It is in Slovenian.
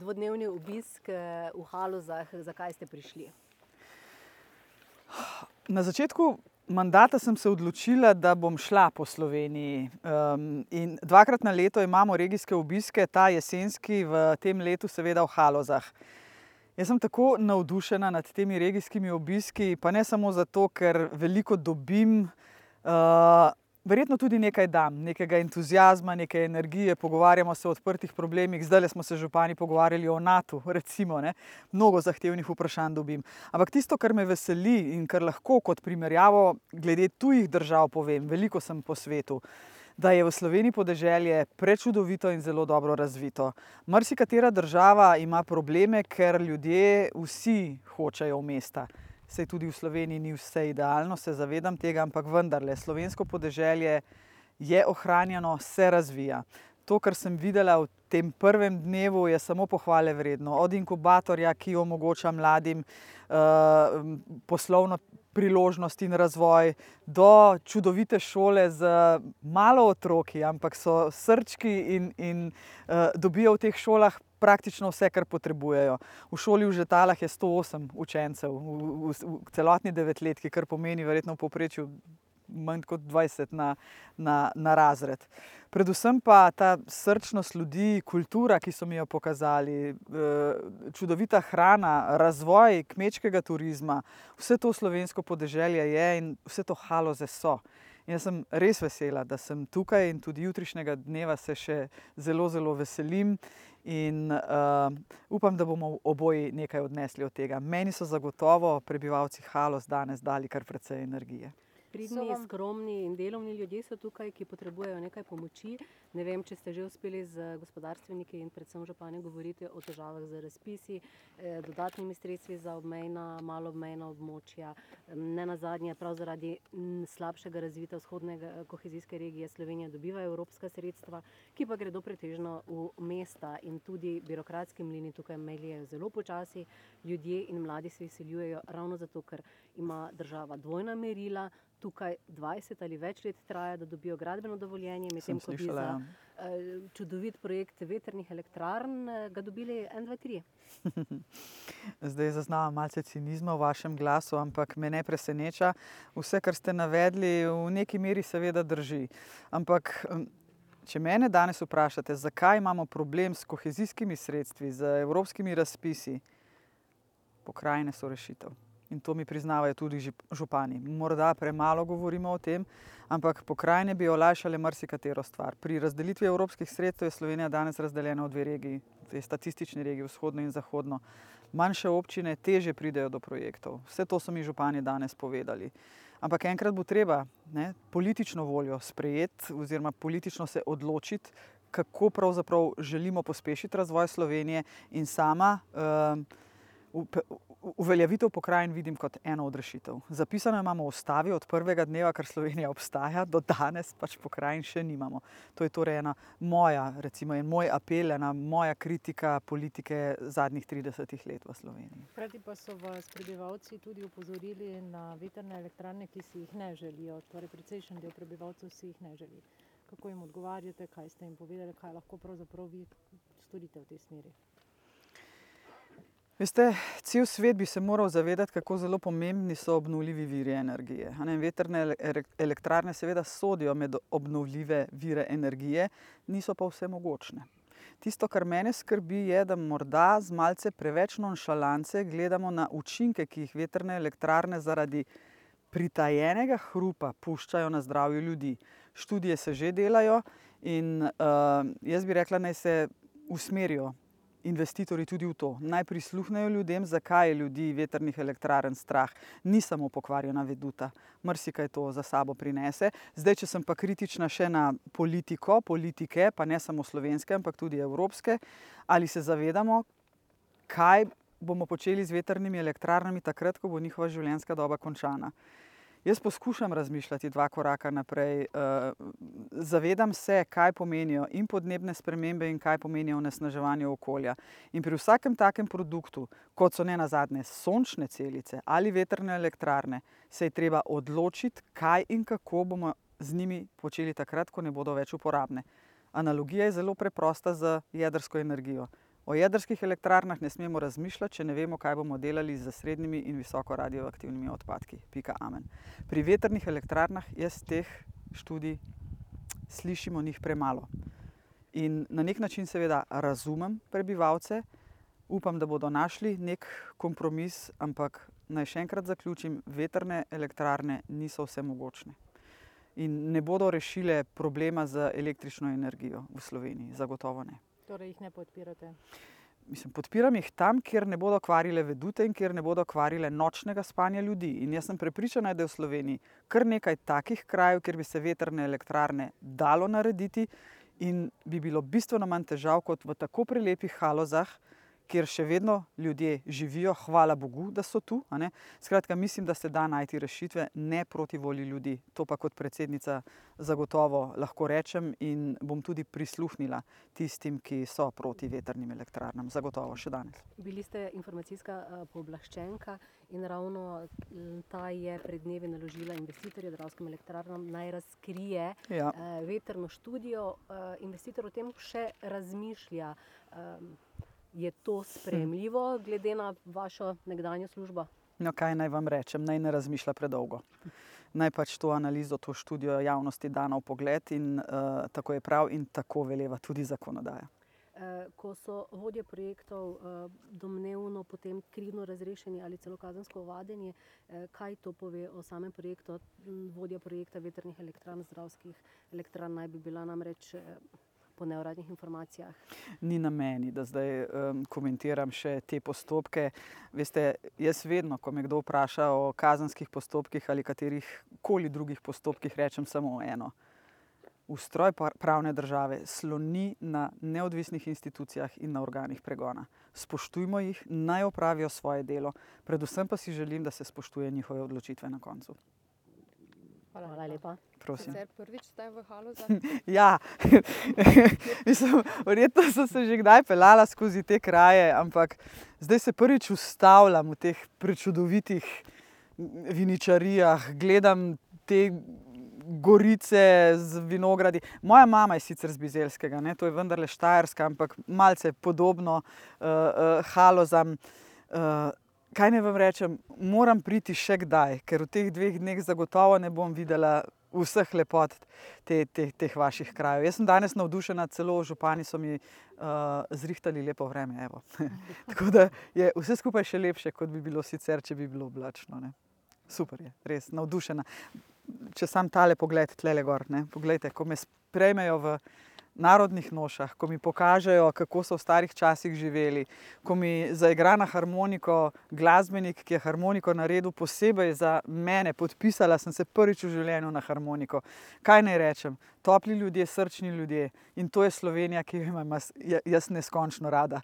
dvodnevni obisk v Halozah. Zakaj ste prišli? Na začetku mandata sem se odločila, da bom šla po Sloveniji. In dvakrat na leto imamo regijske obiske, ta jesenski, v tem letu seveda v Halozah. Jaz sem tako navdušena nad temi regijskimi obiski, pa ne samo zato, ker veliko dobim, verjetno tudi nekaj dam, nekega entuziazma, neke energije, pogovarjamo se o odprtih problemih. Zdajle smo se župani pogovarjali o NATO, recimo, ne. Mnogo zahtevnih vprašanj dobim. Ampak tisto, kar me veseli in kar lahko kot primerjavo glede tujih držav povem, veliko sem po svetu, da je v Sloveniji podeželje prečudovito in zelo dobro razvito. Marsikatera država ima probleme, ker ljudje vsi hočejo v mesta. Saj tudi v Sloveniji ni vse idealno, se zavedam tega, ampak vendarle, slovensko podeželje je ohranjeno, se razvija. To, kar sem videla v tem prvem dnevu, je samo pohvale vredno. Od inkubatorja, ki omogoča mladim poslovno priložnost in razvoj, do čudovite šole z malo otroki, ampak so srčki in dobijo v teh šolah praktično vse, kar potrebujejo. V šoli v Žetalah je 108 učencev v celotni devetletki, kar pomeni verjetno v povprečju manj kot 20 na razred. Predvsem pa ta srčnost ljudi, kultura, ki so mi jo pokazali, čudovita hrana, razvoj kmečkega turizma, vse to slovensko podeželje je in vse to Haloze so. In jaz sem res vesela, da sem tukaj in tudi jutrišnjega dneva se še zelo, zelo veselim in upam, da bomo oboji nekaj odnesli od tega. Meni so zagotovo prebivalci Haloz danes dali kar precej energije. Pridni, skromni in delovni ljudje so tukaj, ki potrebujejo nekaj pomoči. Ne vem, če ste že uspeli z gospodarstveniki in predvsem župani govoriti o težavah z razpisi, dodatnimi sredstvi za obmejna, malo obmejna območja. Nenazadnje prav zaradi slabšega razvita vzhodnega kohezijske regije Slovenija dobiva evropska sredstva, ki pa gredo pretežno v mesta in tudi birokratski mlini tukaj meljejo zelo počasi. Ljudje in mladi se izseljujejo ravno zato, ker ima država dvojna merila. Tukaj 20 ali več let traja, da dobijo gradbeno dovoljenje, medtem ko bi za čudovit projekt vetrnih elektrarn ga dobili 1, 2, 3. Zdaj zaznavam malce cinizma v vašem glasu, ampak me ne preseneča. Vse, kar ste navedli, v neki meri seveda drži. Ampak če mene danes vprašate, zakaj imamo problem s kohezijskimi sredstvi, z evropskimi razpisi, pokrajine so rešitev. In to mi priznavajo tudi župani. Morda premalo govorimo o tem, ampak pokrajine bi olajšale marsikatero stvar. Pri razdelitvi evropskih sredstev je Slovenija danes razdeljena v 2 regiji, dve statistični regiji, vzhodno in zahodno. Manjše občine težje pridejo do projektov. Vse to so mi župani danes povedali. Ampak enkrat bo treba politično voljo sprejeti oziroma politično se odločiti, kako pravzaprav želimo pospešiti razvoj Slovenije in sama uveljavitev pokrajin vidim kot eno od rešitev. Zapisano imamo v ustavi od prvega dneva, kar Slovenija obstaja, do danes pač pokrajin še nimamo. To je torej ena moja, recimo, en moj apel, ena moja kritika politike zadnjih 30 let v Sloveniji. Hkrati pa so vas prebivalci tudi opozorili na vetrne elektrarne, ki si jih ne želijo. Torej precejšen del prebivalcev si jih ne želi. Kako jim odgovarjate, kaj ste jim povedali, kaj lahko pravzaprav vi storite v tej smeri? Veste, cel svet bi se moral zavedati, kako zelo pomembni so obnovljivi viri energije. Vetrne elektrarne seveda sodijo med obnovljive vire energije, niso pa vse mogočne. Tisto, kar mene skrbi, je, da morda z malce preveč nonšalance gledamo na učinke, ki jih vetrne elektrarne zaradi pritajenega hrupa puščajo na zdravju ljudi. Študije se že delajo in jaz bi rekla, naj se usmerijo investitorji tudi v to. Naj prisluhnejo ljudem, zakaj je ljudi vetrnih elektrarn strah. Ni samo pokvarjena veduta, marsikaj to za sabo prinese. Zdaj, če sem pa kritična še na politike, pa ne samo slovenske, ampak tudi evropske, ali se zavedamo, kaj bomo počeli z vetrnimi elektrarnami takrat, ko bo njihova življenjska doba končana. Jaz poskušam razmišljati 2 koraka naprej. Zavedam se, kaj pomenijo in podnebne spremembe in kaj pomenijo onesnaževanje okolja. In pri vsakem takem produktu, kot so nenazadnje sončne celice ali vetrne elektrarne, se je treba odločiti, kaj in kako bomo z njimi počeli takrat, ko ne bodo več uporabne. Analogija je zelo preprosta z jedrsko energijo. O jedrskih elektrarnah ne smemo razmišljati, če ne vemo, kaj bomo delali z srednjimi in visoko radioaktivnimi odpadki. Pika amen. Pri vetrnih elektrarnah jaz teh študij slišim o njih premalo. In na nek način seveda razumem prebivalce, upam, da bodo našli nek kompromis, ampak naj še enkrat zaključim, vetrne elektrarne niso vsemogočne. In ne bodo rešile problema z električno energijo v Sloveniji, zagotovo ne. Torej jih ne podpirate. Mislim, podpiram jih tam, kjer ne bodo kvarile vedute in kjer ne bodo kvarile nočnega spanja ljudi. In jaz sem prepričana, da je v Sloveniji kar nekaj takih krajev, kjer bi se vetrne elektrarne dalo narediti in bi bilo bistveno manj težav kot v tako prelepih Halozah, kjer še vedno ljudje živijo, hvala Bogu, da so tu. A ne? Skratka, mislim, da se da najti rešitve ne proti volji ljudi. To pa kot predsednica zagotovo lahko rečem in bom tudi prisluhnila tistim, ki so proti vetrnim elektrarnam. Zagotovo še danes. Bili ste informacijska pooblaščenka in ravno ta je pred dnevi naložila investitorju Dravskim elektrarnam naj razkrije vetrno študijo. Investitor o tem še razmišlja. Je to sprejemljivo glede na vašo nekdanjo službo? No, kaj naj vam rečem, naj ne razmišlja predolgo. Naj pač to analizo, to študijo javnosti da na vpogled in tako je prav in tako veleva tudi zakonodaja. Ko so vodje projektov domnevno potem krivdno razrešeni ali celo kazensko ovadeni, kaj to pove o samem projektu? Vodja projekta vetrnih elektrarn, Dravskih elektrarn naj bi bila namreč po neuradnih informacijah. Ni na meni, da zdaj komentiram še te postopke. Veste, jaz vedno, ko me kdo vpraša o kazenskih postopkih ali katerih koli drugih postopkih, rečem samo eno. Ustroj pravne države sloni na neodvisnih institucijah in na organih pregona. Spoštujmo jih, naj opravijo svoje delo, predvsem pa si želim, da se spoštuje njihove odločitve na koncu. Hvala lepa. Prosim. Sicer prvič ste v Halozah? Ja, mislim, verjetno sem se že kdaj peljala skozi te kraje, ampak zdaj se prvič ustavljam v teh prečudovitih viničarijah, gledam te gorice z vinogradi. Moja mama je sicer z Bizeljskega, ne, to je vendarle Štajerska, ampak malce podobno Halozam. Kaj naj vam rečem, moram priti še kdaj, ker v teh 2 dneh zagotovo ne bom videla vseh lepot teh vaših krajev. Jaz sem danes navdušena, celo župani so mi zrihtali lepo vreme. Evo. Tako da je vse skupaj še lepše, kot bi bilo sicer, če bi bilo oblačno. Ne. Super je, res navdušena. Če sam tale pogled tlele gor, ne, poglejte, ko me sprejmejo v narodnih nošah, ko mi pokažejo, kako so v starih časih živeli, ko mi zaigra na harmoniko glasbenik, ki je harmoniko naredil posebej za mene, podpisala sem se prvič v življenju na harmoniko. Kaj naj rečem? Topli ljudje, srčni ljudje in to je Slovenija, ki jo imam jaz neskončno rada.